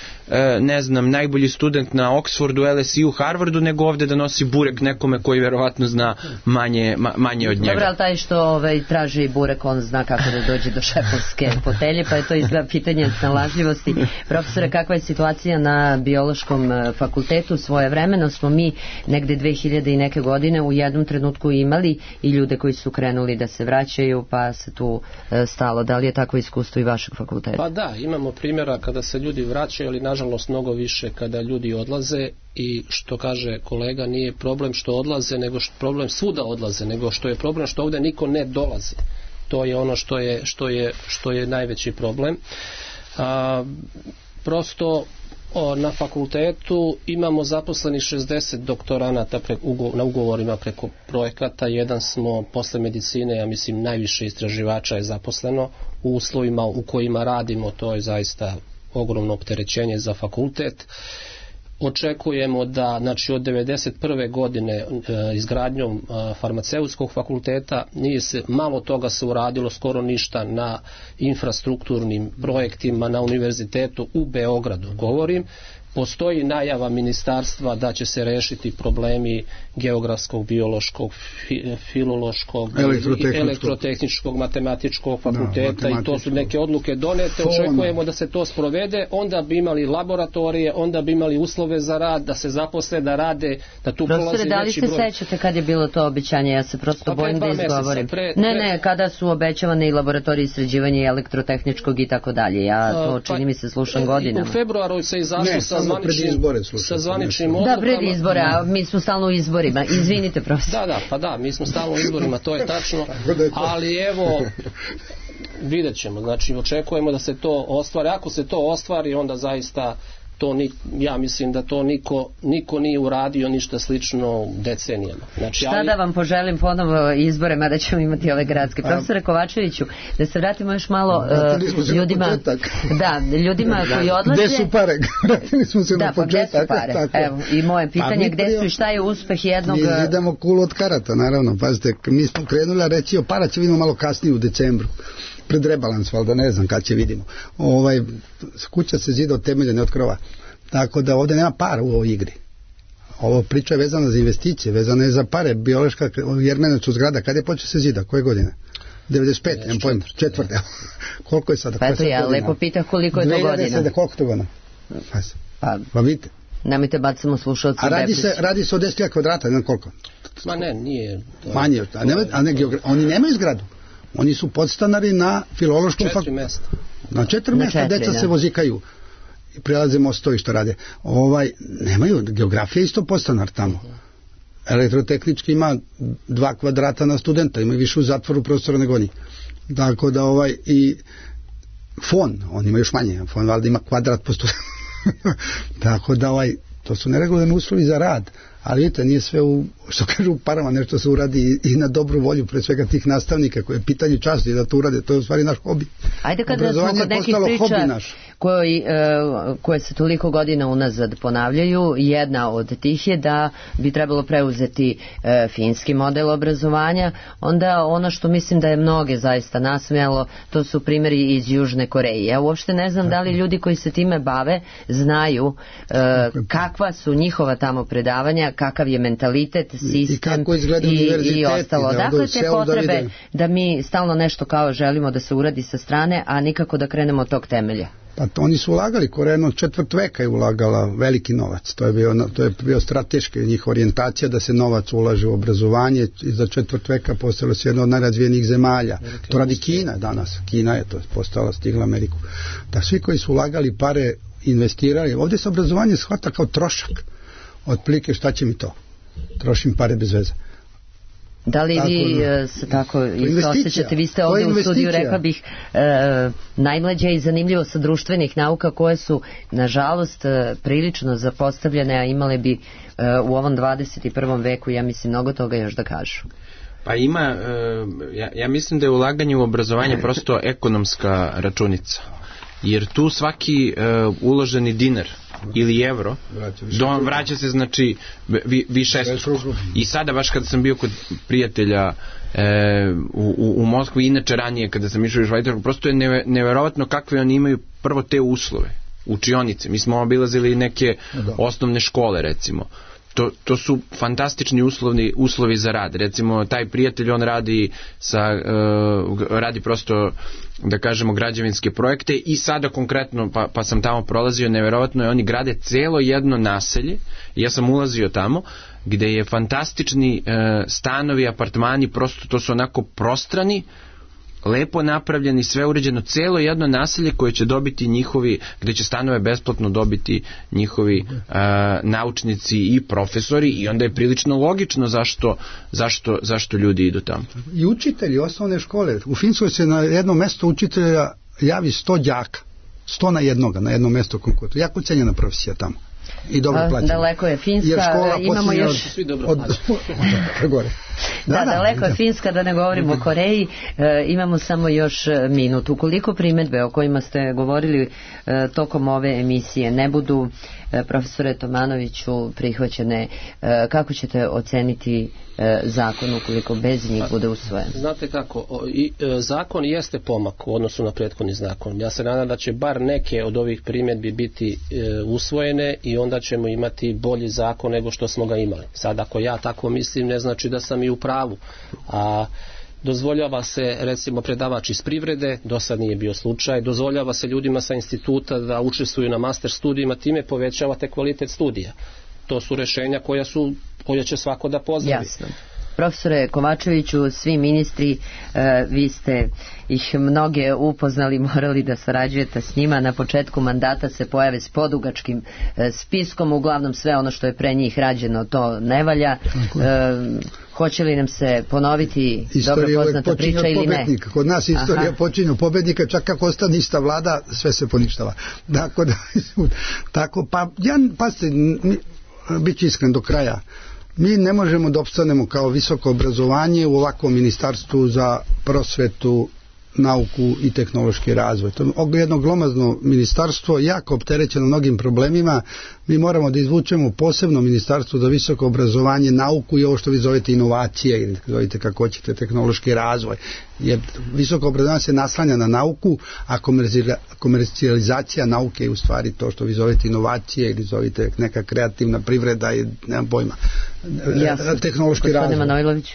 ne znam, najbolji student na Oxfordu, LSU, Harvardu, nego ovde da nosi burek nekome koji verovatno zna manje od njega. Dobro, ali taj što traži burek, on zna kako da dođe do šefovske fotelje, pa je to izgleda pitanje snalažljivosti. Profesore, kakva je situacija na biološkom fakultetu? Svojevremeno smo mi negde 2000 i neke godine u jednom trenutku imali i ljude koji su krenuli da se vraćaju, pa se tu stalo. Da li je takvo iskustvo i vašeg fakulteta? Pa da, imamo primjera kada se ljudi vraćaju, ali nažalost mnogo više kada ljudi odlaze, i što kaže kolega, nije problem što odlaze, nego problem svuda odlaze, nego što je problem što ovdje niko ne dolazi. To je ono što je najveći problem. Prosto na fakultetu imamo zaposlenih 60 doktoranata na ugovorima preko projekata. Jedan smo posle medicine, ja mislim najviše istraživača je zaposleno u uslovima u kojima radimo. To je zaista ogromno opterećenje za fakultet. Očekujemo da, znači od 1991. godine izgradnjom farmaceutskog fakulteta nije se, malo toga se uradilo, skoro ništa na infrastrukturnim projektima na univerzitetu u Beogradu, govorim. Postoji najava ministarstva da će se rešiti problemi geografskog, biološkog, filološkog, elektrotehničkog, matematičkog fakulteta, i to su neke odluke donete. Očekujemo da se to sprovede, onda bi imali laboratorije, onda bi imali uslove za rad, da se zaposle, da rade, da tu prolazi veći broj. Da li se sećate kad je bilo to obećanje? Ja se prosto bojim da izgovorim. Ne, kada su obećavane i laboratorije istraživanja elektrotehničkog i tako dalje. Ja to čini mi se slušam godinama. U februaru se izašlo sa zvaničnim odlukama. Da, pred izbore, a mi smo stalno u izborima. Izvinite, profesor. Da, mi smo stalno u izborima, to je tačno. Ali evo, vidjet ćemo. Znači, očekujemo da se to ostvari. Ako se to ostvari, onda zaista ja mislim da to niko nije uradio ništa slično decenijama. Znači, šta da vam poželim ponovo izbore, mada ćemo imati ove gradske. Profesore Kovačeviću, da se vratimo još malo ljudima koji odlaze. Gde su pare? Vratili smo se na početak. Evo, i moje pitanje, gde su i šta je uspeh jednog... Mi zidamo kulu od karata, naravno. Pazite, mi smo krenuli, a reći o para će vidimo malo kasnije u decembru. Pred rebalans, valjda ne znam kad će vidimo. Kuća se zida od temelja, ne od krova. Tako da ovdje nema para u ovoj igri. Ovo priča je vezana za investicije, vezana je za pare. Biološka Jermenovac zgrada, kad je počeo se zida? Koje godine? 95, nemam pojma, četvrte. Koliko je sada? Pa eto ja lepo pitah koliko je to godina. Koliko to godina? Pa vidite. Nemojte bacimo slušalci. A radi se o 10.000 kvadrata, ne koliko? Ma ne, nije. Manje, oni nemaju zgradu. Oni su podstanari na filološkom fakultetu. 4 mjesta. Na 4 mjesta, deca se vozikaju i prelaze mostovi što rade. Nemaju, geografija isto podstanar tamo. Elektrotehnički ima 2 kvadrata na studenta, ima više u zatvoru prostora nego oni. Tako da i fon, on ima još manje, fon valjda ima kvadrat po studentu. Tako da to su neregularni uslovi za rad, ali vidite, nije sve u, što kažu, u parama, nešto se uradi i na dobru volju, pre svega tih nastavnika, koje je pitanje časti da to urade, to je u stvari naš hobi. Ajde, kada smo kod nekih priča koje se toliko godina unazad ponavljaju, jedna od tih je da bi trebalo preuzeti finski model obrazovanja, onda ono što mislim da je mnoge zaista nasmijalo, to su primjeri iz Južne Koreje. Ja uopšte ne znam da li ljudi koji se time bave znaju kakva su njihova tamo predavanja, kakav je mentalitet, sistem i ostalo. Dakle, te potrebe da mi stalno nešto kao želimo da se uradi sa strane, a nikako da krenemo od tog temelja. Pa to oni su ulagali, Koreja od četvrt veka je ulagala veliki novac, to je bio strateški njih orijentacija da se novac ulaže u obrazovanje i za četvrt veka postala se jedna od najrazvijenijih zemalja. To radi Kina danas, Kina je to postala, stigla Ameriku. Da svi koji su ulagali pare, investirali, ovdje se obrazovanje shvata kao trošak, otprilike šta će mi to, trošim pare bez veze. Da li vi se tako isto osjećate? Vi ste ovdje u studiju, rekla bih, najmlađa i zanimljivo sa društvenih nauka koje su, nažalost, prilično zapostavljene, a imale bi u ovom 21. veku, ja mislim, mnogo toga još da kažu. Pa ima, ja mislim da je ulaganje u obrazovanje prosto ekonomska računica. Jer tu svaki uloženi dinar ili evro vraća se, znači, višestruko. I sada baš kada sam bio kod prijatelja u Moskvi, inače ranije kada sam išao u Švajcarsku, prosto je neverovatno kakve oni imaju prvo te uslove, učionice. Mi smo obilazili neke osnovne škole, recimo. To su fantastični uslovi za rad. Recimo, taj prijatelj, on radi prosto, da kažemo, građevinske projekte i sada konkretno, pa sam tamo prolazio, neverovatno je, oni grade celo jedno naselje, ja sam ulazio tamo, gde je fantastični stanovi, apartmani, prosto to su onako prostrani, lepo napravljeni, sve uređeno, celo jedno naselje koje će dobiti njihovi, gde će stanove besplatno dobiti njihovi naučnici i profesori, i onda je prilično logično zašto ljudi idu tamo. I učitelji osnovne škole. U Finskoj se na jedno mesto učitelja javi 100 đaka. 100 na jedno mesto konkursu. Jako cenjena profesija tamo. I dobro plaćena. Daleko je Finska, imamo još... Svi dobro gore. Da, daleko je Finska, da ne govorimo o Koreji. Imamo samo još minut. Ukoliko primjedbe o kojima ste govorili tokom ove emisije ne budu, profesore Tomanoviću, prihvaćene, kako ćete oceniti zakon ukoliko bez njih bude usvojen? Znate kako, zakon jeste pomak u odnosu na prethodni zakon. Ja se nadam da će bar neke od ovih primjedbi biti usvojene i onda ćemo imati bolji zakon nego što smo ga imali. Sad, ako ja tako mislim, ne znači da sam i u pravu. A dozvoljava se, recimo, predavač iz privrede, do sad nije bio slučaj, dozvoljava se ljudima sa instituta da učestvuju na master studijima, time povećavate kvalitet studija. To su rešenja koja će svako da pozdravi. Jasno. Profesore Kovačeviću, svi ministri, vi ste ih mnoge upoznali, morali da sarađujete s njima. Na početku mandata se pojave s podugačkim spiskom, uglavnom sve ono što je pre njih rađeno to ne valja. Hoće li nam se ponoviti dobro poznata priča ili ne? Kod nas istorija počinje pobednika, čak kako ostane ista vlada, sve se poništava. Tako, bit ću iskren do kraja. Mi ne možemo da opstanemo kao visoko obrazovanje u ovakvom ministarstvu za prosvetu, nauku i tehnološki razvoj. To je jedno glomazno ministarstvo, jako opterećeno mnogim problemima. Mi moramo da izvučemo posebno ministarstvo za visoko obrazovanje, nauku i ovo što vi zovete inovacije, ili zovete kako hoćete, tehnološki razvoj. Jer visoko obrazovanje se naslanja na nauku, a komercijalizacija nauke je u stvari to što vi zovete inovacije ili zovete neka kreativna privreda i nemam pojma. Tehnološki razvoj. Manojlović.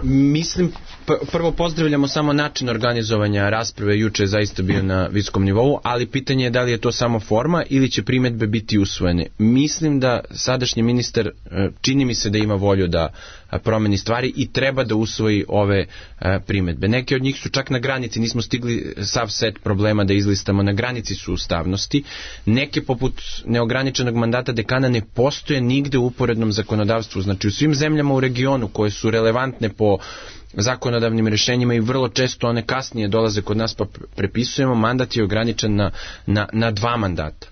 Mislim, prvo pozdravljamo samo način organizovanja rasprave, juče je zaista bio na visokom nivou, ali pitanje je da li je to samo forma ili će primjedbe biti usvojene. Mislim da sadašnji ministar, čini mi se da ima volju da promeni stvari i treba da usvoji ove primjedbe. Neke od njih su čak na granici, nismo stigli sav set problema da izlistamo, na granici su ustavnosti. Neke, poput neograničenog mandata dekana, ne postoje nigde u uporednom zakonodavstvu. Znači, u svim zemljama u regionu koje su relevantne po zakonodavnim rješenjima i vrlo često one kasnije dolaze kod nas pa prepisujemo, mandat je ograničen na 2 mandata.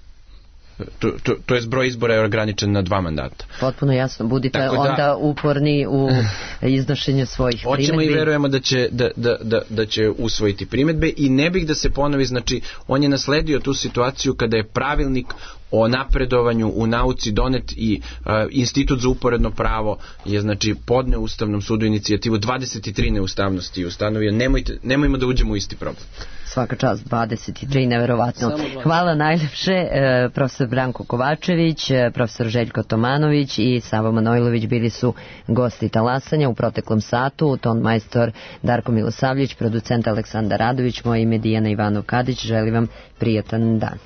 to je broj izbora je ograničen na 2 mandata. Potpuno jasno, budite onda uporni u iznošenju svojih primedbi. Hoćemo i verujemo da će usvojiti primedbe i ne bih da se ponovi, znači on je nasledio tu situaciju kada je pravilnik o napredovanju u nauci donet i Institut za uporedno pravo je znači podneo Ustavnom sudu inicijativu 23 neustavnosti i ustanovio, nemojmo da uđemo u isti problem. Svaka čast, 23, neverovatno. Hvala najlepše, profesor Branko Kovačević, profesor Željko Tomanović i Savo Manojlović bili su gosti talasanja u proteklom satu, ton majstor Darko Milosavljević, producent Aleksandar Radović, moje ime Dijana Ivanov Kadić, želim vam prijatan dan.